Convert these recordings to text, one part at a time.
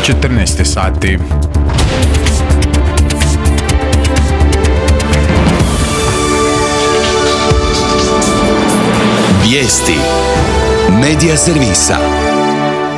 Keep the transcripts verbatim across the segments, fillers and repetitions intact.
četrnaest sati. Vijesti Medija servisa.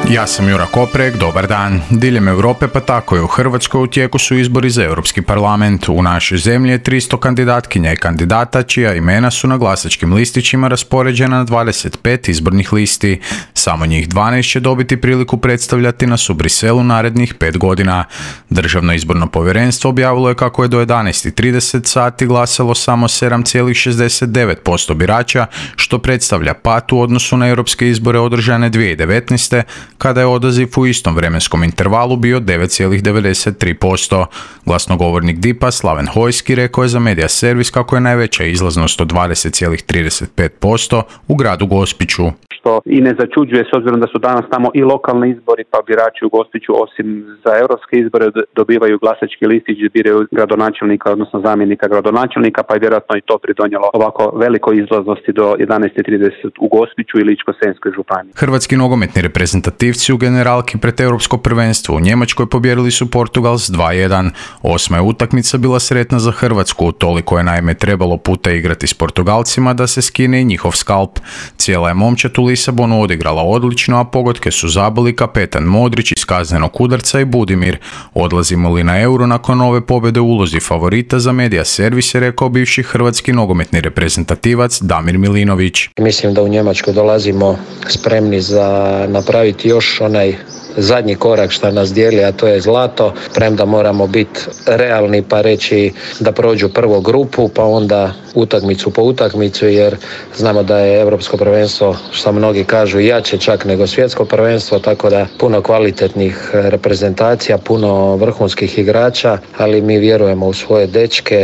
Ja sam Jura Koprek, dobar dan. Diljem Europe pa tako i u Hrvatskoj u tijeku su izbori za Europski parlament. U našoj zemlji je tristo kandidatkinja i kandidata čija imena su na glasačkim listićima raspoređena na dvadeset pet izbornih listi. Samo njih dvanaest će dobiti priliku predstavljati nas u Briselu narednih pet godina. Državno izborno povjerenstvo objavilo je kako je do jedanaest i trideset sati glasalo samo sedam zarez šezdeset devet posto birača, što predstavlja pad u odnosu na europske izbore održane dvije tisuće devetnaeste. kada je odaziv u istom vremenskom intervalu bio devet zarez devedeset tri posto. Glasnogovornik D I P-a Slaven Hojski rekao je za Medija servis kako je najveća izlaznost od dvadeset zarez trideset pet posto u gradu Gospiću. Što i ne začuđuje s obzirom da su danas tamo i lokalni izbori, pa birači u Gospiću osim za europske izbore dobivaju glasački listić gdje biraju gradonačelnika, odnosno zamjenika gradonačelnika, pa je vjerojatno i to pridonijelo ovako velikoj izlaznosti do jedanaest i trideset u Gospiću i Ličko-senjskoj županiji. Hrvatski nogometni reprezentativci u generalki pred Europsko prvenstvo u Njemačkoj pobijedili su Portugal s dva jedan. Osma je utakmica bila sretna za Hrvatsku, toliko je naime trebalo puta igrati s Portugalcima da se skine i njihov skalp. Cijela je momčad u Lisabonu odigrala odlično, a pogodke su zabili kapetan Modrić iz kaznenog udarca i Budimir. Odlazimo li na Euro nakon ove pobjede u ulozi favorita za Medija servis, je rekao bivši hrvatski nogometni reprezentativac Damir Milinović. Mislim da u Njemačku dolazimo spremni za napraviti još onaj zadnji korak što nas dijeli, a to je zlato, premda moramo biti realni pa reći da prođu prvo grupu, pa onda utakmicu po utakmicu, jer znamo da je Europsko prvenstvo, što mnogi kažu, jače čak nego svjetsko prvenstvo, tako da puno kvalitetnih reprezentacija, puno vrhunskih igrača, ali mi vjerujemo u svoje dečke,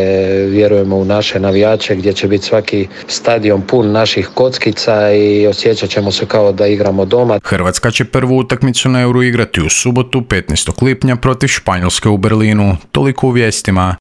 vjerujemo u naše navijače gdje će biti svaki stadion pun naših kockica i osjećat ćemo se kao da igramo doma. Hrvatska će prvu utakmicu na Euro igrati u subotu petnaestog lipnja protiv Španjolske u Berlinu. Toliko u vijestima.